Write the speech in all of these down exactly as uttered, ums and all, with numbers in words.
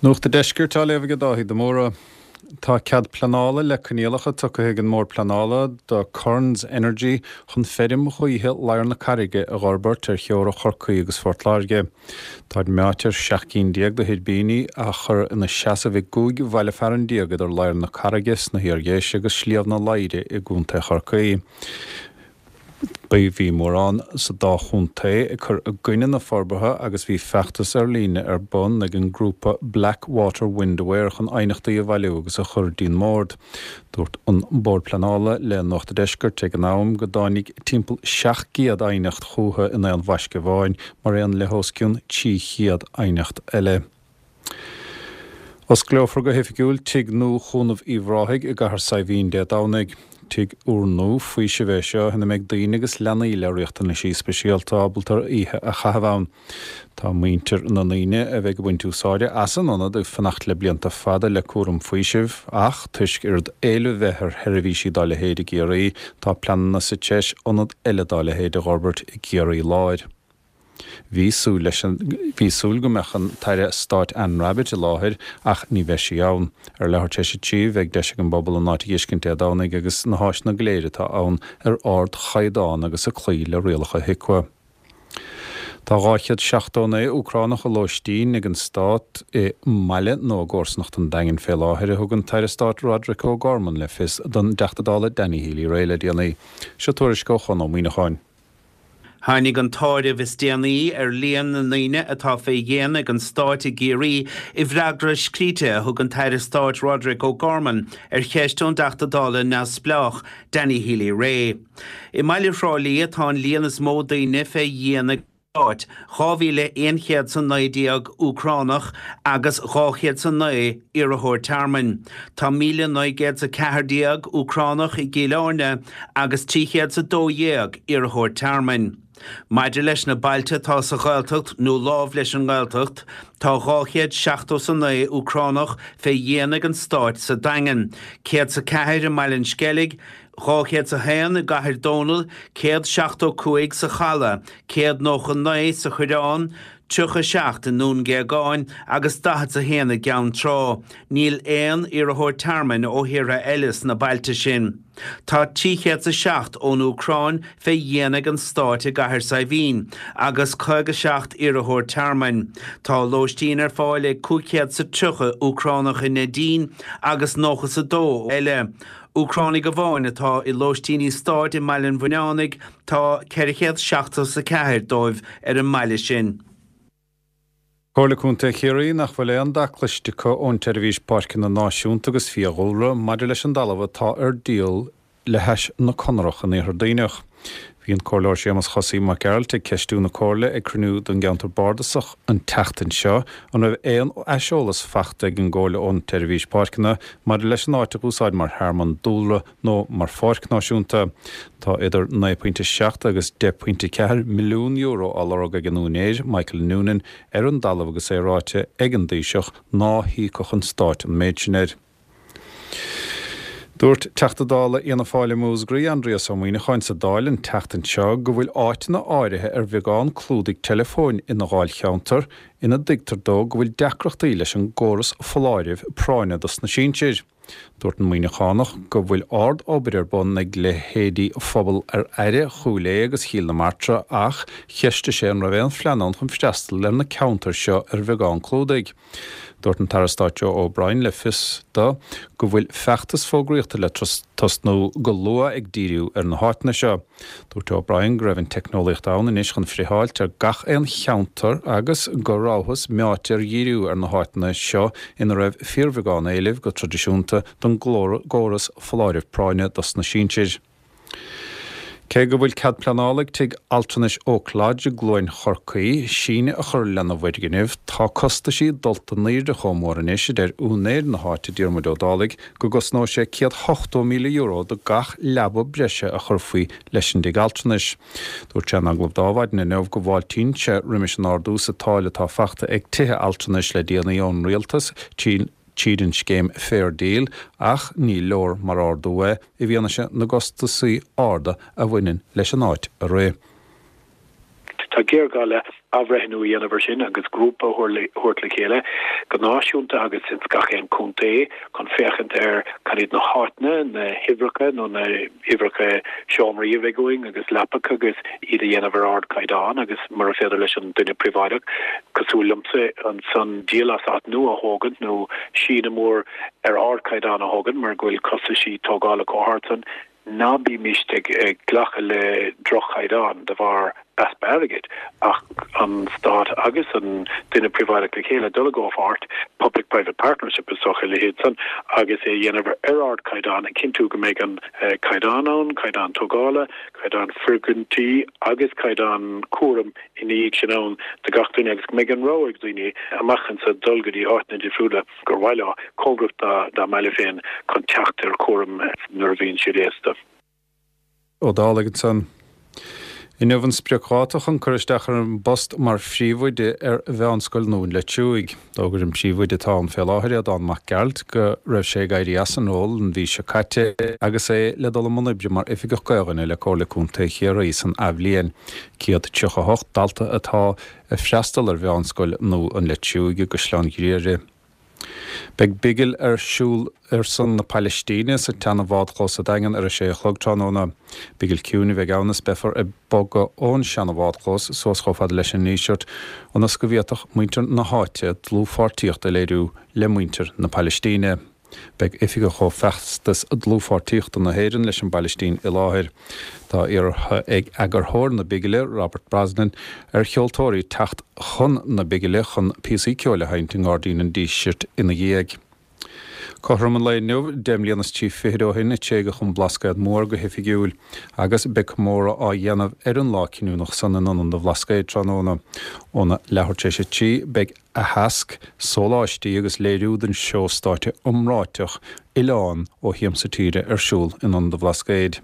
Nuacht an Deiscirt á léamh ag Dáithí de Mórdha. Tá cead pleanála le coinníollacha tugtha ag an mBord Pleanála do Currans Energy chun feirm ghaoithe Ladhar na Carraige a fhorbairt ar theora Chorcaí agus Phort Láirge. Táid meáite ar seacht gcinn déag de thuirbíní a chur ina seasamh i gcúig bhaile fearainn déag idir Ladhar na Carraige sna hIardhéise agus Sliabh na Laidhre i gContae Chorcaí. Bhí mórán sa dá chontae ag cur i gcoinne na forbartha agus bhí feachtas ar líne ar bun ag an ngrúpa Blackwater Wind Aware chun aighneachtaí a bhailiú agus a chur dtí'n mbord. Dúirt an Bord Pleanála le Nuacht an Deiscirt ag an am go dtáinig timpeall seacht gcéad aighneacht chucu in aon bhaisce amháin mar aon le os cionn trí chéad aighneacht eile. Osclófar go hoifigiúil Tigh Nua Chúnamh Uíbh Ráthaigh i gCathair Saidhbhín Dé Domhnaigh. Tigh úrnua faoisimh é seo ina mbeidh daoine agus leanaí le riachtanaisí speisialta ábalta oíche a chaitheamh ann. Tá muintir na ndaoine a bheidh ag baint úsáide as an ionad ag fanacht le blianta fada le cúram faoisimh, ach toisc oiread éilimh bheith ar sheirbhísí dá leithéid i gCiarraí, tá pleananna sa treis ionad eile dá leithéid a fhorbairt i gCiarraí Láir. Bhí súil leis an bhí súil go mbeadh an tAire Stáit Anne Rabbitte i láthair ach ní bheidh sí ann. Ar leathuair tar éis a trí bheidh deis ag an bpobal an áit a fheiscint Dé Domhnaigh agus na háiseanna go léir atá ann ar ardchaighdeán agus ag cloí le rialacha HIQA. Tá dhá chéad seachtó naoi Úcránach i lóistín ag an stát i mbaile nó i gcomharsanacht an Daingin fé láthair, a thug an tAire Stáit Roderic O'Gorman le fios don dTeachta Dála Danny Healy-Rae le déanaí. Seo tuairisc ó Chon Ó Muíneacháin. Tháinig an t-áireamh is déanaí ar líon na ndaoine atá fé dhéin ag an stát i gCiarraí i bhfreagra scríte a thug an tAire Stáit Roderic O'Gorman ar cheist ón dTeachta Dála neamhspleách Danny Healy-Rae. I mbaile Thrá Lí atá an líon is mó daoine fé dhéin ag an stát, dhá mhíle aon chéad 's a naoi déag Úcránach agus dhá chéad 's a naoi iarrthóir tearmainn. Tá míle naoi gcéad 's a ceathair déag Úcránach i gCill Airne agus trí chéad 's a dó dhéag iarrthóir tearmainn. Maidir leis na bailte atá sa Ghaeltacht nó lámh leis an nGaeltacht, tá dhá chéad seachtó 's a naoi Úcránach fé dhéin ag an stát sa Daingean, céad 's a ceathair i mBaile an Sceilg, dhá chéad 's a haon i gCathair Dónall, céad seachtó cúig sa Chaladh, céad nócha naoi sa Choireán, tríocha a seacht i nDún Géagáin agus daichead 's a haon i gCeann Trá. Níl aon iarrthóir tearmainn ó thíortha eile sna bailte sin. Tá trí chéad 's a seacht ón Úcráin fé dhéin ag an stát i gCathair Saidhbhín agus caoga seacht iarrthóir tearmainn. Tá lóistín ar fáil ag cúig chéad 's a tríocha Úcránach i Neidín agus nócha 's a dó eile. Úcránaigh amháin atá i lóistíní stáit i mBaile an Bhuinneánaigh, tá ceithre chéad seachtó 's a ceathair dóibh ar an mbaile sin. Comhairle Contae Chiarraí nach bhfuil aon dath cloiste acu ón tSeirbhís Páirceanna Náisiúnta agus Fiadhúlra maidir leis an dtalamh atá ar díol le hais na Conarach in Iarthar Duibhneach. Bhí an Comhairleoir Séamus Chosaí Mac Gearailt ag ceistiú na Comhairle ag cruinniú don gceantar bardasach an tseachtain seo an raibh aon aiseolas faighte ag an gComhairle ón tSeirbhís Páirceanna maidir leis an áit a úsáid mar thearmann dúlra nó mar pháirc náisiúnta. Tá idir naoi pointe seacht agus deich pointe ceathair milliún euro á lorg ag an úinéir, Michael Noonan, ar an dtalamh agus é ráite ag an dTaoiseach ná híocfadh an stát an méid sin air. Dúirt Teachta Dála Fhianna Fáil i Múscraí, Aindrias Ó Muíneacháin sa Dáil an tseachtain seo go bhfuil áiteanna áirithe ar bheagán clúdaigh teileafóin ina dháilcheantar ina dtuigtear dó go bhfuil deacrachtaí leis an gcóras foláirimh práinne dos na sinsir. Dúirt an Muíneachánach go bhfuil ard-obair ar bun ag leithéidí Phobal ar Aire, Chúil Aodha agus Chill na Martra ach cheistigh sé an raibh aon phlean ann chun freastal ar na ceantair seo ar bheagán clúdaigh. Dúirt an tAire Stáit Joe O'Brien le fios do go bhfuil feachtas fógraíochta le tosnú go luath ag díriú ar na háiteanna seo. Dúirt O'Brien go raibh an teicneolaíocht ann anois chun friotháilt ar gach aon cheantar agus go rabhthas meáite ar dhíriú ar na háiteanna seo ina raibh fíorbheagán éilimh go traidisiúnta don gcóras foláirimh práinne dos na sinsir. Cé go bhfuil cead pleanála ag Tigh Altranais Oak Lodge i gCluain Chorcaí síneadh a chur lena bhfoirgneamh, tá costaisí dulta in airde chomh mór anois, a deir úinéir na háite Diarmuid Ó Dálaigh, go gcosnóidh sé céad ochtó míle euro do gach leaba breise a chuirfí leis an dtigh altranais. Dúirt sé in agallamh do Adhmhaidin inniu go bhfáiltíonn sé roimis an ardú sa táille atá fachta ag tithe altranais le déanaí ón rialtas tríd an scéim Fair Deal ach ní leor mar ardú é i bhfianaise na gcostasaí arda a bhaineann leis an áit a rith. Tá géarghá le athbhreithniú a dhéanamh air sin agus grúpa a thabhairt le chéile go náisiúnta agus ins gach aon chontae chun féachaint ar cad iad na háiteanna, na huimhreacha nó na huimhreacha seomraí a bheidh againn agus leapacha agus iad a dhéanamh ar ardchaighdeán agus mura féidir leis an duine príobháideach, cosúil liomsa, ansan díol as áit nua a thógaint nó síneadh mór ar ardchaighdeán a thógaint mar go bhfuil costaisí tógála chomh hard san. Ná bímist ag glacadh le droch-chaighdeán de bharr easpa airgid, ach an Stát agus an duine príobháideach le chéile dul i gcomhpháirt, public private partnership is dócha a leithéid san, agus é a dhéanamh ar ardchaighdeán, ag cinntiú go mbeidh an caighdeán ann, caighdeán tógála, caighdeán foirgintí agus caighdeán cúraim ina dhiaidh sin ann do gach duine agus go mbeidh an rogha ag daoine amach anseo dul go dtí áiteanna difriúla gur mhaith leo, cóngarach dá mbaile féin chun teacht ar chúram nuair a bhíonn siad aosta. Ó Dálaigh ansan. Inniu an spriocdháta chun cur isteach ar an bpost mar phríomhoide ar Mheánscoil Dhún Leitriúigh. D'fhógair an príomhoide atá ann fé láthair, Aodán Mac Gearailt, go raibh sé ag éirí as an ról an mhí seo caite agus é le dul i mbun oibre mar Oifigeach Gaoluinne le Comhairle Contae Chiarraí san athbhliain. céad tríocha a hocht dalta atá ag freastal ar Mheánscoil Nua an Leitriúigh i gCaisleán Ghriaire. Beidh bigil ar siúl ar son na Palaistíne sa tseana-bhádchlós sa Daingean ar a sé a chlog tráthnóna. Bigil ciúin a bheidh ann is beifear ag bogadh ón seana-bhádchlós suas chomh fada leis an nDíseart ionas go bhféadfadh muintir na háite dlúthpháirtíocht a léiriú le muintir na Palaistíne. Beidh oifigeach ó Feachtas Dlúthpháirtíochta na hÉireann leis an bPailistín i láthair. Tá iarrtha ag eagarthóir na bigile, Robert Brosnan, ar cheoltóirí teacht chun na bigile chun píosaí ceoil a sheinnt i nGairdín an Dísirt ina dhiaidh. Cothrom an lae inniu, deich mbliana is trí fichid ó shin, a tréigeadh an Blascaod Mór go hoifigiúil agus beidh comóradh á dhéanamh ar an lá cinniúnach san in Ionad an Bhlascaoid tráthnóna. Óna leathuair tar éis a trí, beidh aitheasc, sóláistí agus léiriú den seó stáitse iomráiteach Oileán ó Shiamsa Tíre ar siúl in Ionad an Bhlascaoid.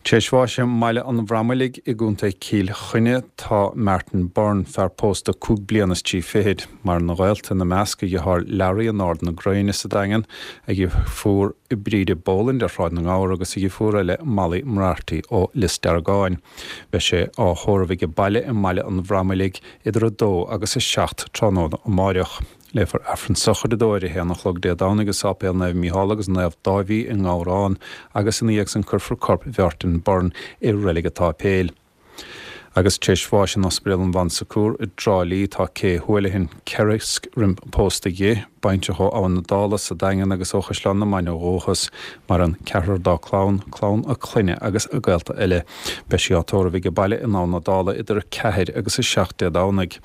Tar éis bháis i mBaile an Bhramallaigh i gContae Chill Chainnigh tá Martin Byrne, fear pósta cúig bliana is trí fichid. Maireann a ghaolta, ina measc a dheartháir Larry in Ard na Gréine sa Daingean, a dheirfiúr Bríde Boland ar Shráid na nGabhar agus a dheirfiúr eile Molly Moriarty ó Lios Deargáin. Beidh sé á thórramh aige baile i mBaile an Bhramallaigh idir a dó agus a seacht tráthnóna amáireach. Léifear Aifreann sochraide dó ar a haon a chlog Dé Domhnaigh i Sáipéal Naomh Mícheál agus Naomh Dáibhí i nGabhrán agus ina dhiaidh san cuirfear corp Mhartin Byrne i Reilig an tSáipéil. Agus tar éis bháis in Ospidéal an Bhon Secours i dTrá Lí tá Kay Houlihan, ceithre roimh pósta dhi, baintreach ó Abhainn na Dála sa Daingean agus ó Chaisleán na Mainge ó dhúchas. Maireann ceathrar dá clann, clann a clainne agus a gaolta eile. Beidh sí á tórramh aige baile in Abhainn na Dála idir a ceathair agus a seacht Dé Domhnaigh.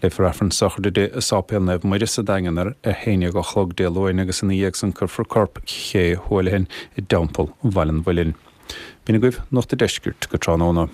Léifear Aifreann sochraide di i Sáipéal Naomh Muire sa Daingean ar a haon déag a chlog Dé Luain agus ina dhiaidh san cuirfear corp Kay Houlihan i dTeampall Bhaile an Mhuilinn. B'in agaibh Nuacht an Deiscirt go tráthnóna.